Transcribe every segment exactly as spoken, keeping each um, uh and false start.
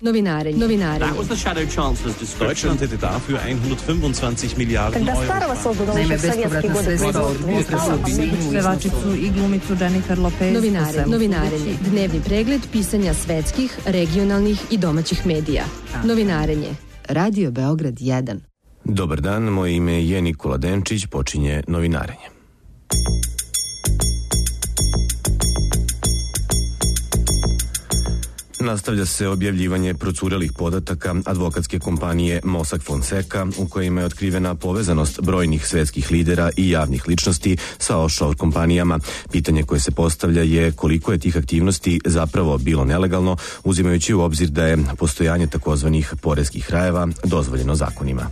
Novinarenje. Novinarenje. That was the Shadow Chancellor's description. Deutschland hätte dafür hundertfünfundzwanzig Miliarden Euro. Naime, bespovratna sredstva od pevačicu i glumicu Jennifer Lopez. Novinarenje. Novinarenje. Dnevni pregled pisanja svetskih, regionalnih i domaćih medija. Novinarenje. Radio Beograd jedan. Dobar dan, moje ime je Nikola Denčić, počinje novinarenje. Nastavlja se objavljivanje procurelih podataka advokatske kompanije Mossack Fonseca u kojima je otkrivena povezanost brojnih svetskih lidera i javnih ličnosti sa offshore kompanijama. Pitanje koje se postavlja je koliko je tih aktivnosti zapravo bilo nelegalno, uzimajući u obzir da je postojanje takozvanih poreskih rajeva dozvoljeno zakonima.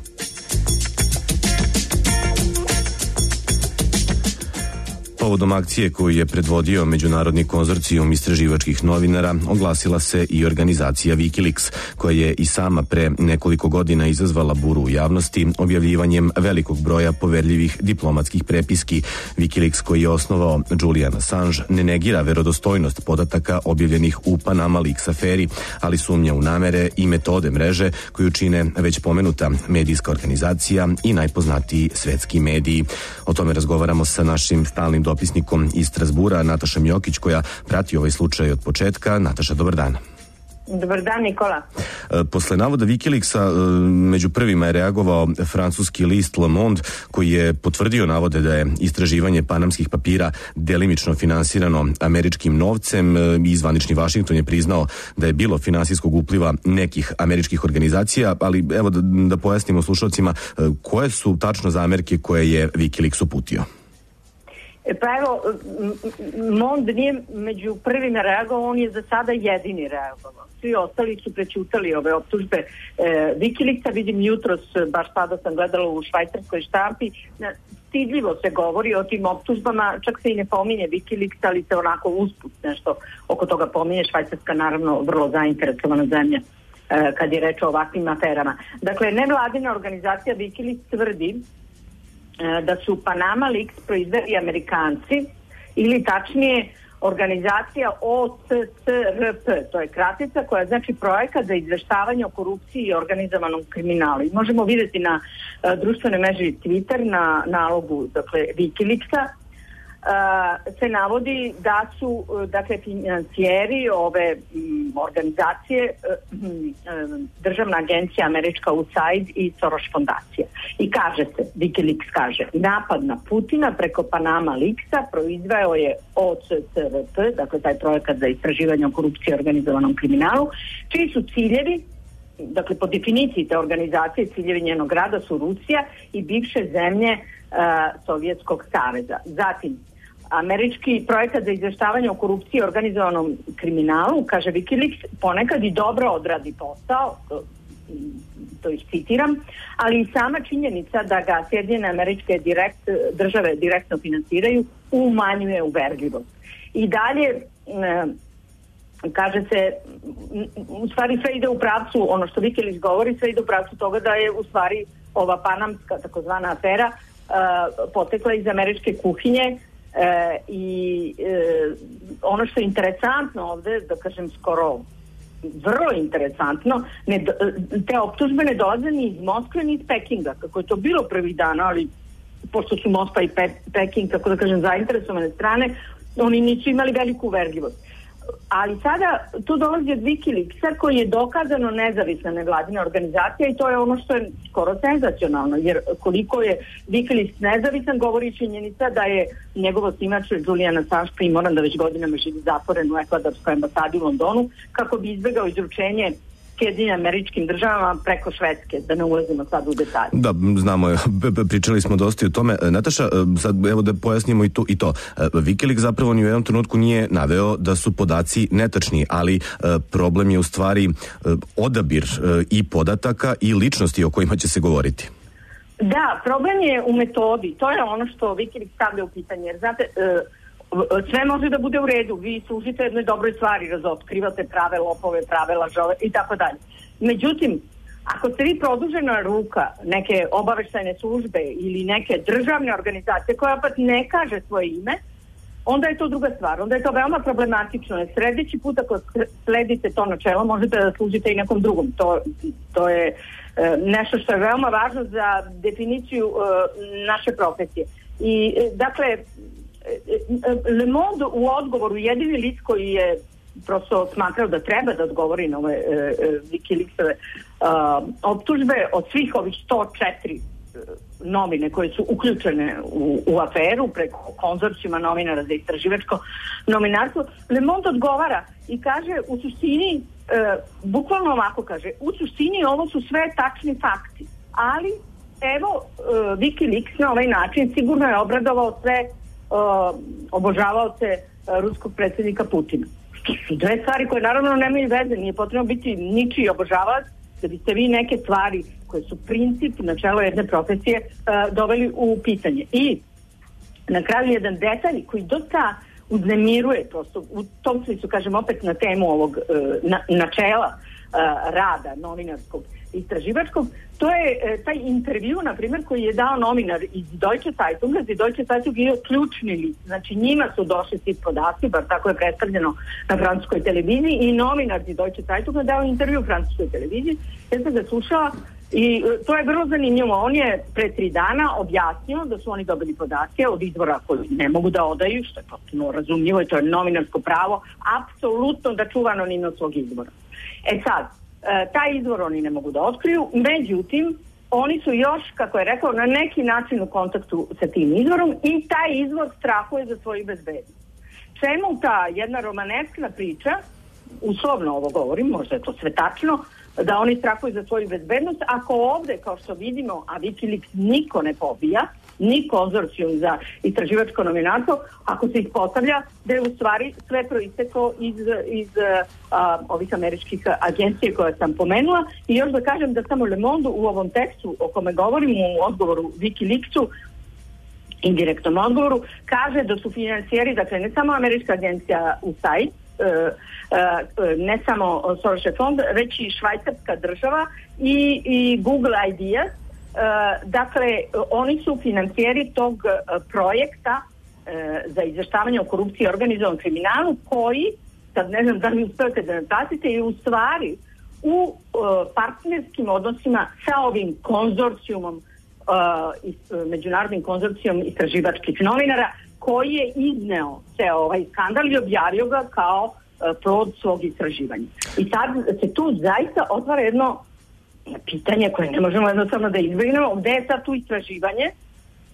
Povodom akcije koju je predvodio Međunarodni konzorcijum istraživačkih novinara oglasila se i organizacija Wikileaks, koja je i sama pre nekoliko godina izazvala buru u javnosti objavljivanjem velikog broja poverljivih diplomatskih prepiski. Wikileaks, koji je osnovao Julian Assange, ne negira verodostojnost podataka objavljenih u Panama Leaks aferi, ali sumnja u namere i metode mreže koju čine već pomenuta medijska organizacija i najpoznatiji svetski mediji. O tome razgovaramo sa našim stalnim dopisnikom iz Strazbura, Natašom Jokić, koja prati ovaj slučaj od početka. Nataša, dobar dan. Dobar dan, Nikola. Posle navoda Wikileaksa među prvima je reagovao francuski list Le Monde, koji je potvrdio navode da je istraživanje panamskih papira delimično finansirano američkim novcem i zvanični Vašington je priznao da je bilo finansijskog upliva nekih američkih organizacija, ali evo da, da pojasnimo slušalcima koje su tačno zamerke koje je Wikileaks uputio. Pa evo, Mond nije među prvima reagovao, on je za sada jedini reagovao. Svi ostali su prećutali ove optužbe e, Wikileaksa. Vidim jutros, baš sada sam gledala u švajcarskoj štampi, stidljivo se govori o tim optužbama, čak se i ne pominje Wikileaks, ali se onako usput nešto oko toga pominje. Švajcarska naravno vrlo zainteresovana zemlja e, kad je reč o ovakvim aferama. Dakle, nevladina organizacija Wikileaks tvrdi da su Panama Leaks proizveli Amerikanci, ili tačnije organizacija O C C R P, to je kratica koja znači projekat za izveštavanje o korupciji i organizovanom kriminalu. I možemo vidjeti na uh, društvenoj mreži Twitter na nalogu, dakle, Wikileaksa, Uh, se navodi da su uh, dakle financijeri ove um, organizacije uh, uh, državna agencija američka U S A I D i Soros fondacija. I kaže se, Wikileaks kaže, napad na Putina preko Panama Leaksa proizveo je O C C R P, dakle taj projekat za istraživanje o korupciji i organizovanom kriminalu, čiji su ciljevi, dakle po definiciji te organizacije, ciljevi njenog rada su Rusija i bivše zemlje uh, Sovjetskog saveza. Zatim, američki projekat za izveštavanje o korupciji i organizovanom kriminalu, kaže Wikileaks, ponekad i dobro odradi posao, to, to citiram, ali i sama činjenica da ga Sjedinjene Američke direkt, države direktno finansiraju umanjuje uverljivost. I dalje e, kaže se, u stvari sve ide u pravcu, ono što Wikileaks govori, sve ide u pravcu toga da je u stvari ova panamska takozvana afera e, potekla iz američke kuhinje. E, i e, ono što je interesantno ovde, da kažem skoro vrlo interesantno, ne, te optužbe ne dolaze ni iz Moskve ni iz Pekinga, kako je to bilo prvih dana, ali pošto su Moskva i Pe, Peking, kako da kažem, zainteresovane strane, oni nisu imali veliku uverljivost. Ali sada tu dolazi od Wikileaksa, koji je dokazano nezavisna nevladina organizacija, i to je ono što je skoro senzacionalno, jer koliko je Wikileaks nezavisan govori činjenica da je njegov osnivač Julian Assange primoran da već godinama živi zatvoren u ekvadorskoj ambasadi u Londonu kako bi izbegao izručenje Sjedinjenim Američkim državama preko Švedske, da ne ulazimo sad u detalje. Da, znamo, pričali smo dosta i o tome. Nataša, sad evo da pojasnimo i to. I to. Wikileaks zapravo ni u jednom trenutku nije naveo da su podaci netačni, ali problem je u stvari odabir i podataka i ličnosti o kojima će se govoriti. Da, problem je u metodi. To je ono što Wikileaks stavlja u pitanje. Jer znate, sve može da bude u redu, vi služite jednoj dobroj stvari, razotkrivate prave lopove, prave lažove i tako dalje. Međutim, ako ste vi produžena ruka neke obaveštajne službe ili neke državne organizacije koja opet ne kaže svoje ime, onda je to druga stvar. Onda je to veoma problematično. Jer sljedeći put ako sledite to načelo, možete da služite i nekom drugom. To, to je e, nešto što je veoma važno za definiciju e, naše profesije. I e, dakle, e, Le Monde u odgovoru, jedini list koji je prosto smatrao da treba da odgovori na ove e, e, Wikileaksove e, optužbe od svih ovih sto četiri novine koje su uključene u, u aferu preko konzorcijuma novinara za istraživačko novinarstvo. Le Monde odgovara i kaže u suštini, e, bukvalno ovako kaže, u suštini ovo su sve tačni fakti, ali evo e, Wikileaks na ovaj način sigurno je obradovao sve e, obožavaoce e, ruskog predsjednika Putina. To su dve stvari koje naravno nemaju veze, nije potrebno biti ničiji obožavac da biste vi neke stvari koje su princip, načelo jedne profesije uh, doveli u pitanje. I na kraju jedan detalj koji dosta uznemiruje, prosto u tom smislu, kažem opet na temu ovog uh, na, načela uh, rada novinarskog istraživačkog, to je uh, taj intervju, na primjer, koji je dao novinar iz Deutsche Zeitunga. Iz Deutsche Zeitung je ključni list, znači njima su došli svi podaci, bar tako je predstavljeno na francuskoj televiziji, i novinar iz Deutsche Zeitunga dao intervju u francuskoj televiziji. Ja sam ga slušala i to je vrlo zanimljivo. On je pre tri dana objasnio da su oni dobili podatke od izvora koji ne mogu da odaju, što je potpuno razumljivo i to je novinarsko pravo, apsolutno da čuva anonimnost svog izvora. E sad, taj izvor oni ne mogu da otkriju, međutim, oni su još, kako je rekao, na neki način u kontaktu sa tim izvorom i taj izvor strahuje za svoju bezbednost. Čemu ta jedna romaneskna priča, uslovno ovo govorim, možda je to sve tačno, da oni strahuju za svoju bezbednost, ako ovde, kao što vidimo, a Wikileaks niko ne pobija, ni konzorcijum za istraživačko novinarstvo, ako se ispostavlja da je u stvari sve proisteklo iz, iz a, ovih američkih agencije koje sam pomenula. I još da kažem da samo Le Monde u ovom tekstu o kome govorim, u odgovoru Wikileaksu, indirektnom odgovoru, kaže da su financijeri, dakle ne samo američka agencija U S A I D, Uh, uh, ne samo Soros fond, već i švajcarska država i, i Google Ideas. Uh, dakle, oni su financijeri tog uh, projekta uh, za izveštavanje o korupciji i organizovanom kriminalu, koji, sad ne znam da li uspijete da natasite, je u stvari u uh, partnerskim odnosima sa ovim konzorcijumom, uh, is, uh, međunarodnim konzorcijom istraživačkih novinara, koji je izneo ceo ovaj skandal i objavio ga kao uh, plod svog istraživanja. I sad se tu zaista otvara jedno pitanje koje ne možemo jednostavno da izbjegnemo, gde je sad tu istraživanje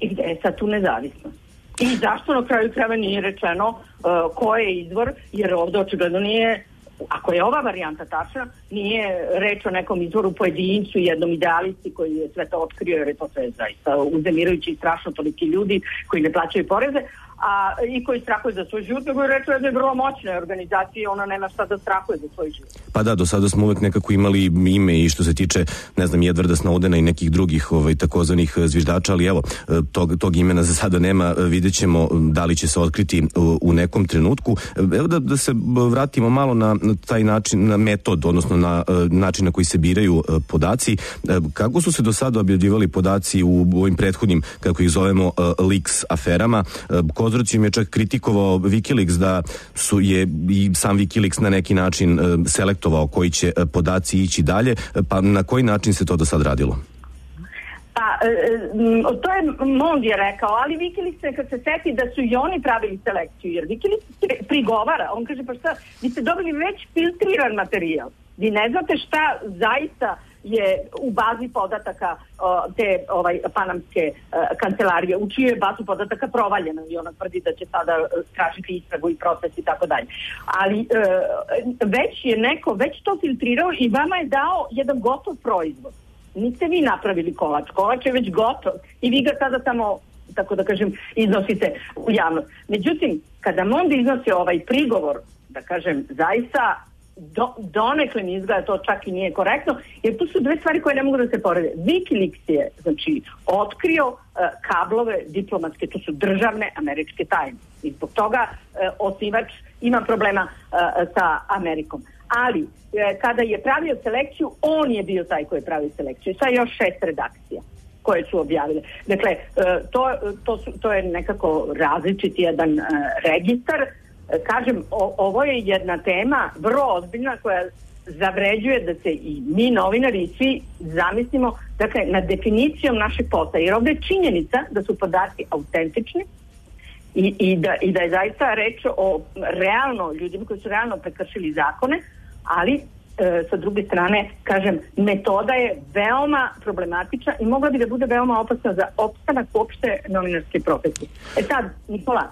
i gde je sad tu nezavisnost. I zašto na kraju krajeva nije rečeno uh, ko je izvor, jer ovdje očigledno nije, ako je ova varijanta tačna, nije reč o nekom izvoru pojedincu, jednom idealisti koji je sve to otkrio, jer je to sve zaista uznemirajući i strašno toliki ljudi koji ne plaćaju poreze, a i koji strahuju za svoj život, nego je reč o jednoj vrlo moćnoj organizaciji, ona nema šta da strahuje za svoj život. Pa da, do sada smo uvek nekako imali ime i što se tiče, ne znam, Edwarda Snowdena i nekih drugih ovaj, takozvanih zviždača, ali evo, tog, tog imena za sada nema, vidjet ćemo da li će se otkriti u, u nekom trenutku. Evo da, da se vratimo malo na, na taj način, na metod, odnosno na način na koji se biraju podaci. Kako su se do sada objavljivali podaci u ovim prethodnim, kako ih zovemo, leaks aferama? Konzorcijum je čak kritikovao Wikileaks da su je i sam Wikileaks na neki način e, selektovao koji će e, podaci ići dalje, pa na koji način se to do sad radilo? Pa, e, to je Monde je rekao, ali Wikileaks se kad se seti da su i oni pravili selekciju, jer Wikileaks prigovara, on kaže pa šta, vi ste dobili već filtriran materijal, vi ne znate šta zaista je u bazi podataka uh, te ovaj, panamske uh, kancelarije, u čiju je bazu podataka provaljena i ona tvrdi da će sada uh, tražiti istragu i proces i tako dalje. Ali uh, već je neko, već to filtrirao i vama je dao jedan gotov proizvod. Niste vi napravili kolač, kolač je već gotov i vi ga sada samo, tako da kažem, iznosite u javnost. Međutim, kada Monde iznosi ovaj prigovor, da kažem, zaista Do, donekle mi izgleda to čak i nije korektno, jer tu su dve stvari koje ne mogu da se porede. Wikileaks je, znači, otkrio uh, kablove diplomatske, to su državne američke tajne. I zbog toga uh, osnivač ima problema uh, sa Amerikom. Ali, uh, kada je pravio selekciju, on je bio taj koji je pravio selekciju. Sa još šest redakcija. koje su objavile. Dakle, to, to, su, to je nekako različiti jedan uh, registar. Kažem, o, ovo je jedna tema vrlo ozbiljna koja zavređuje da se i mi novinari i svi zamislimo, dakle, nad definicijom našeg posla, jer ovdje je činjenica da su podaci autentični i, i, da, i da je zaista reč o realno ljudima koji su realno prekršili zakone, ali e, sa druge strane, kažem, metoda je veoma problematična i mogla bi da bude veoma opasna za opstanak uopšte novinarske profesije. E sad, Nikola,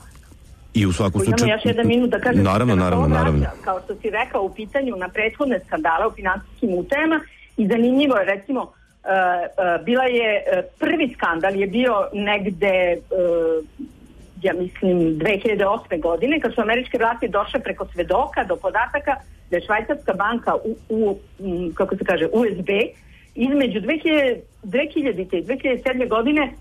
i u svakom slučaju... Imamo još jedan minut da kažem... Naravno, da naravno, naravno. Kao što si rekao u pitanju na prethodne skandale u finansijskim utajama i zanimljivo je, recimo, uh, uh, bila je, uh, prvi skandal je bio negde, uh, ja mislim, dve hiljade osme godine, kad su američke vlasti došle preko svedoka do podataka da je švajcarska banka u, u um, kako se kaže, U S B između dve hiljadite i dve hiljade sedme godine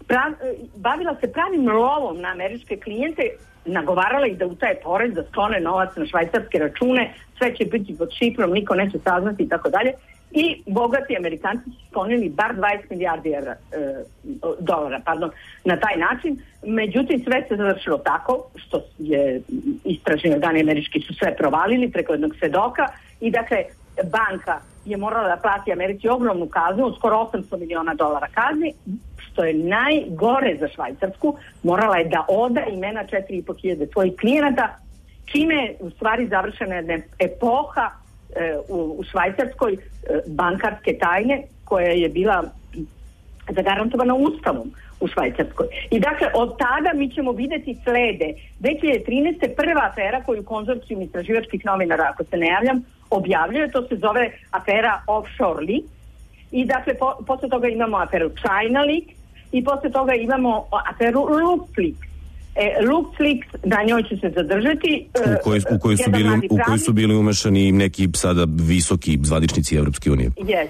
prav, bavila se pravim lovom na američke klijente, nagovarala ih da utaje porez, da sklone novac na švajcarske račune, sve će biti pod šifrom, niko neće saznati i tako dalje. I bogati Amerikanci su sklonili bar dvadeset milijardi evra, e, dolara pardon, na taj način. Međutim, sve se završilo tako što je istražni organi američki su sve provalili preko jednog svedoka i dakle banka je morala da plati Americi ogromnu kaznu, skoro osamsto miliona dolara kazni, što je najgore za Švajcarsku. Morala je da oda imena četiri i po hiljade svojih klijenata, čime je u stvari završena jedna epoha e, u, u Švajcarskoj e, bankarske tajne koja je bila zagarantovana ustavom u Švajcarskoj. I dakle, od tada mi ćemo vidjeti slede. dve hiljade trinaeste. prva afera koju konzorcijum istraživačkih novinara, ako se ne javljam, objavljuje, to se zove afera Offshore Leak. I dakle, po, posle toga imamo aferu China Leak i posle toga imamo aferu LuxLeaks. E, LuxLeaks, na njoj će se zadržati. U kojoj u koj su, u koj su bili umešani neki sada visoki zvaničnici Evropske unije. Yes.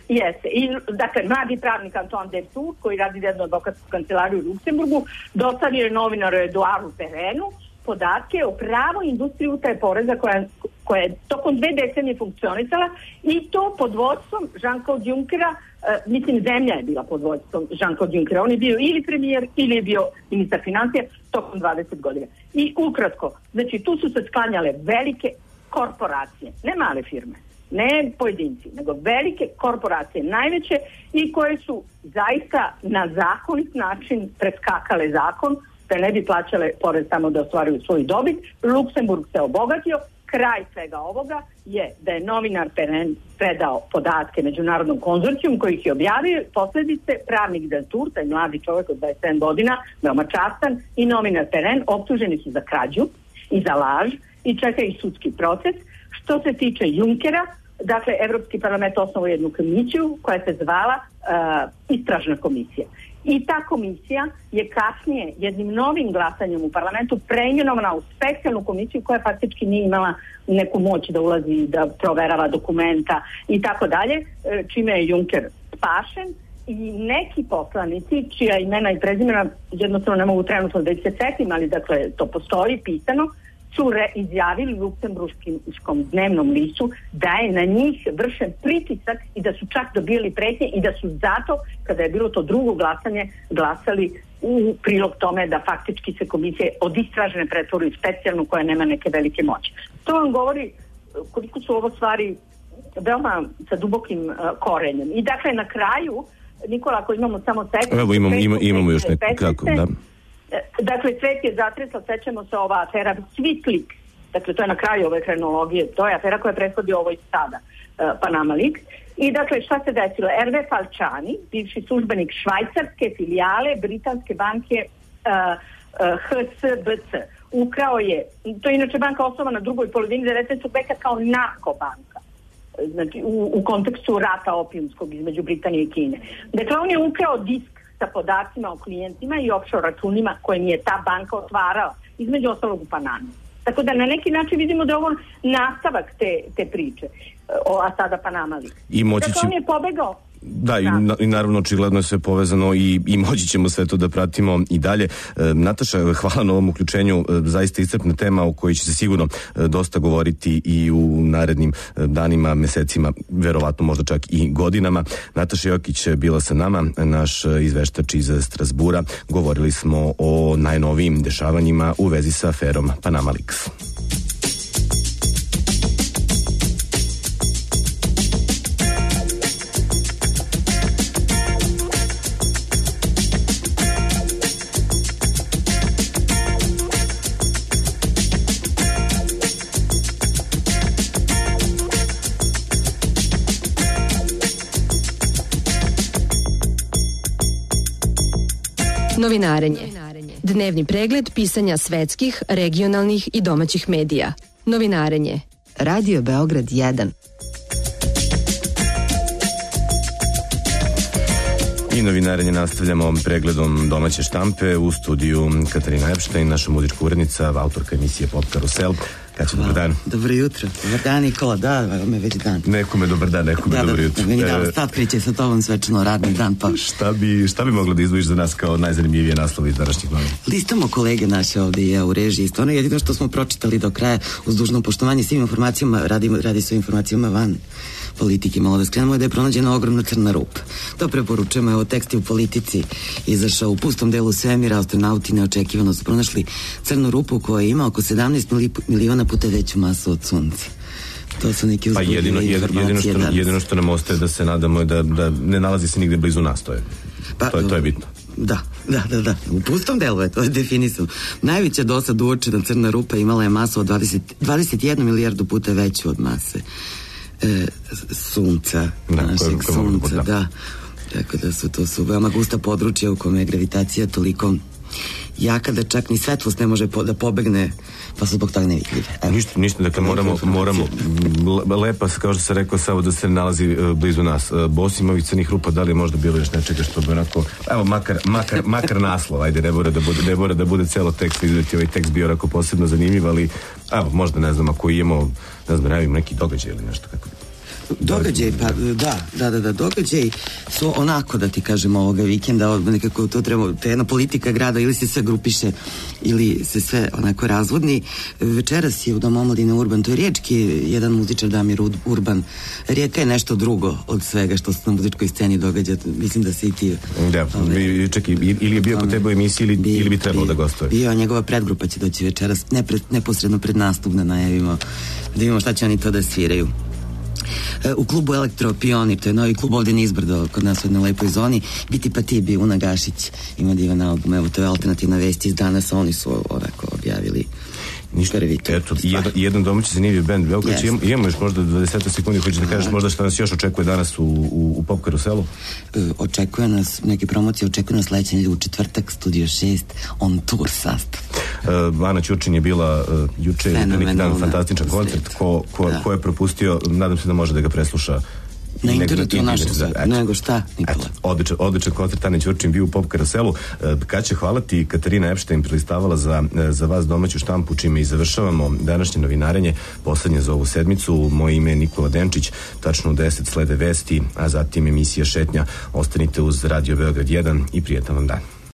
Jeste. I, dakle, mladi pravnik Antoine Deltour, koji radi jednu advokatsku kancelariju u Luksemburgu, dostavio je novinaru Eduardu Perenu podatke o pravoj industriji utaje poreza koja, koja je tokom dve decenije funkcionisala i to pod vodstvom Jean-Claude Junckera, uh, mislim zemlja je bila pod vodstvom Jean-Claude Junckera, on je bio ili premijer ili je bio ministar financija tokom dvadeset godina. I ukratko, znači tu su se sklanjale velike korporacije, ne male firme, ne pojedinci, nego velike korporacije, najveće i koje su zaista na zakonit način preskakale zakon, da ne bi plaćale porez tamo da ostvaruju svoju dobit. Luksemburg se obogatio. Kraj svega ovoga je da je novinar Peren predao podatke međunarodnom konzorcijum koji ih je objavio. Posljedice, pravnik Deltour, taj mladi čovjek od dvadeset sedam godina, veoma častan, i novinar Peren optuženi su za krađu i za laž i čeka ih sudski proces. Što se tiče Junckera, dakle, Evropski parlament osnovao jednu komisiju koja se zvala uh, istražna komisija. I ta komisija je kasnije jednim novim glasanjem u parlamentu preimenovana u specijalnu komisiju koja faktički nije imala neku moć da ulazi, da proverava dokumenta i tako dalje, čime je Juncker spašen. I neki poslanici, čija imena i prezimena jednostavno ne mogu trenutno da ih se setim, ali dakle to postoji pisano, su re izjavili luksemburškom dnevnom listu da je na njih vršen pritisak i da su čak dobili pretnje i da su zato, kada je bilo to drugo glasanje, glasali u prilog tome da faktički se komisije od istražene pretvori specijalnu koja nema neke velike moći. To vam govori koliko su ovo stvari veoma sa dubokim uh, korenjem. I dakle na kraju, Nikola, ako imamo samo sekundu... Evo imamo, ima, imamo još neko kako, da. Dakle, svet je zatresla, sećamo se ova afera SwissLeaks, dakle to je na kraju ove kronologije, to je afera koja prethodi ovoj sada, uh, Panama Leaks. I dakle, šta se desilo? Hervé Falciani, bivši službenik švajcarske filijale britanske banke uh, uh, H S B C, ukrao je, to je inače banka osnovana na drugoj polovini devetnaestog veka kao narkobanka, znači u, u kontekstu rata opijumskog između Britanije i Kine. Dakle, on je ukrao disk sa podacima o klijentima i offshore računima koje mi je ta banka otvarala, između ostalog u Panami. Tako da na neki način vidimo da je ovo nastavak te, te priče o, a sada Panama Leaks. I moći će... Dakle, on je pobegao Da, i, na, i naravno očigledno je sve povezano i, i moći ćemo sve to da pratimo i dalje. E, Nataša, hvala na ovom uključenju, e, zaista iscrpna tema o kojoj će se sigurno e, dosta govoriti i u narednim e, danima, mesecima, verovatno možda čak i godinama. Nataša Jokić bila sa nama, naš izveštač iz Strasbura. Govorili smo o najnovijim dešavanjima u vezi sa aferom Panama Leaks. Novinarenje. Dnevni pregled pisanja svetskih, regionalnih i domaćih medija. Novinarenje. Radio Beograd jedan. I novinarenje nastavljamo pregledom domaće štampe u studiju Katarina Epštajn, naša muzička urednica, autorka emisije Pop Karusel. Kaća, dobar dan. Dobro jutro. Dobar dan, Nikola, da, me već dan. Nekome dobar dan, nekome da, dobro da, jutro. Da, meni da, stat kreće sa tobom svečano radni dan, pa... Šta bi, šta bi mogla da izdvojiš za nas kao najzanimljivije naslove iz današnjih novina? Listamo kolege naše ovde i ja u režiji. Stvarno jedino što smo pročitali do kraja uz dužno poštovanje svim informacijama, radi, radi se o informacijama van politike. Malo da skrenemo je da je pronađena ogromna crna rupa. To preporučujemo, evo tekst je u Politici izašao u pustom delu svemira, astronauti neočekivano su pronašli crnu rupu koja ima oko sedamnaest miliona puta veću masu od Sunca. To su neki uzbudljive pa jedino, informacije jedino što, danas. Jedino što nam ostaje da se nadamo je da, da ne nalazi se nigde blizu nas, to je, pa, to je, to je bitno. Da, da, da, da. U pustom delu je to je definisano. Najveća do sad uočena crna rupa imala je masu od dvadeset, dvadeset jednu milijardu puta veću od mase e, Sunca, da, našeg koje, koje Sunca, da. da. Tako da su to su veoma gusta područja u kome je gravitacija toliko jaka da čak ni svetlost ne može po, da pobegne, pa su zbog toga nevidljive. Ništa, ništa, dakle moramo, moramo lepa, kao što se rekao, samo da se nalazi uh, blizu nas. Uh, Bosim ovih crnih rupa, da li je možda bilo još nečega što bi onako, evo, makar, makar, makar naslov, ajde, ne mora da bude, ne mora da bude celo tekst, vidjeti ovaj tekst bio onako posebno zanimljiv, ali evo, možda ne znam, ako imamo, ne znam, nevim neki događaj ili nešto kako bi. Događaj, pa da, da, da, da, događaj su onako, da ti kažem, ovoga vikenda, nekako to treba, to je jedna politika grada, ili se sve grupiše, ili se sve onako razvodni. Večeras je u Domu omladine Urban, to je riječki jedan muzičar Damir Urban. Rijeka je nešto drugo od svega što se na muzičkoj sceni događa, mislim da se i ti... Da, ove, čekaj, ili je bio kod tebe u emisiji ili, bi, ili bi trebalo bi, da gostuje? Bio, njegova predgrupa će doći večeras, nepred, neposredno pred nastup da najavimo, da vidimo šta će oni to da sviraju. U klubu Elektro Pionir, to je novi klub ovdje nizbrdo kod nas u jednoj lepoj zoni, Biti pa ti bi Una Gašić ima divan album, evo to je alternativna vest iz danas, oni su onako objavili ništa, eto, jedan, jedan domaći zanimljiv band Beograd, yes. imamo, imamo još možda dvadeset sekundi, hoćeš da kažeš možda što nas još očekuje danas u, u, u Pop Karuselu? E, očekuje nas, neke promocije, očekuje nas sledeće nedelje u četvrtak, Studio šest, on tour sastav. Uh, Ana Ćurčin je bila uh, juče, neki dan, fantastičan koncert, ko, ko, ko je propustio, nadam se da može da ga presluša na internetu našem svetu, nego šta, Nikola. Eto, odličan, odličan koncert, Ane Ćurčin bio u Pop Karuselu. Kaće, hvala ti, Katarina Epštajn prilistavala za, za vas domaću štampu, čime i završavamo današnje novinarenje, poslednje za ovu sedmicu. Moje ime je Nikola Denčić, tačno u deset slede vesti, a zatim emisija Šetnja. Ostanite uz Radio Beograd jedan i prijetan vam dan.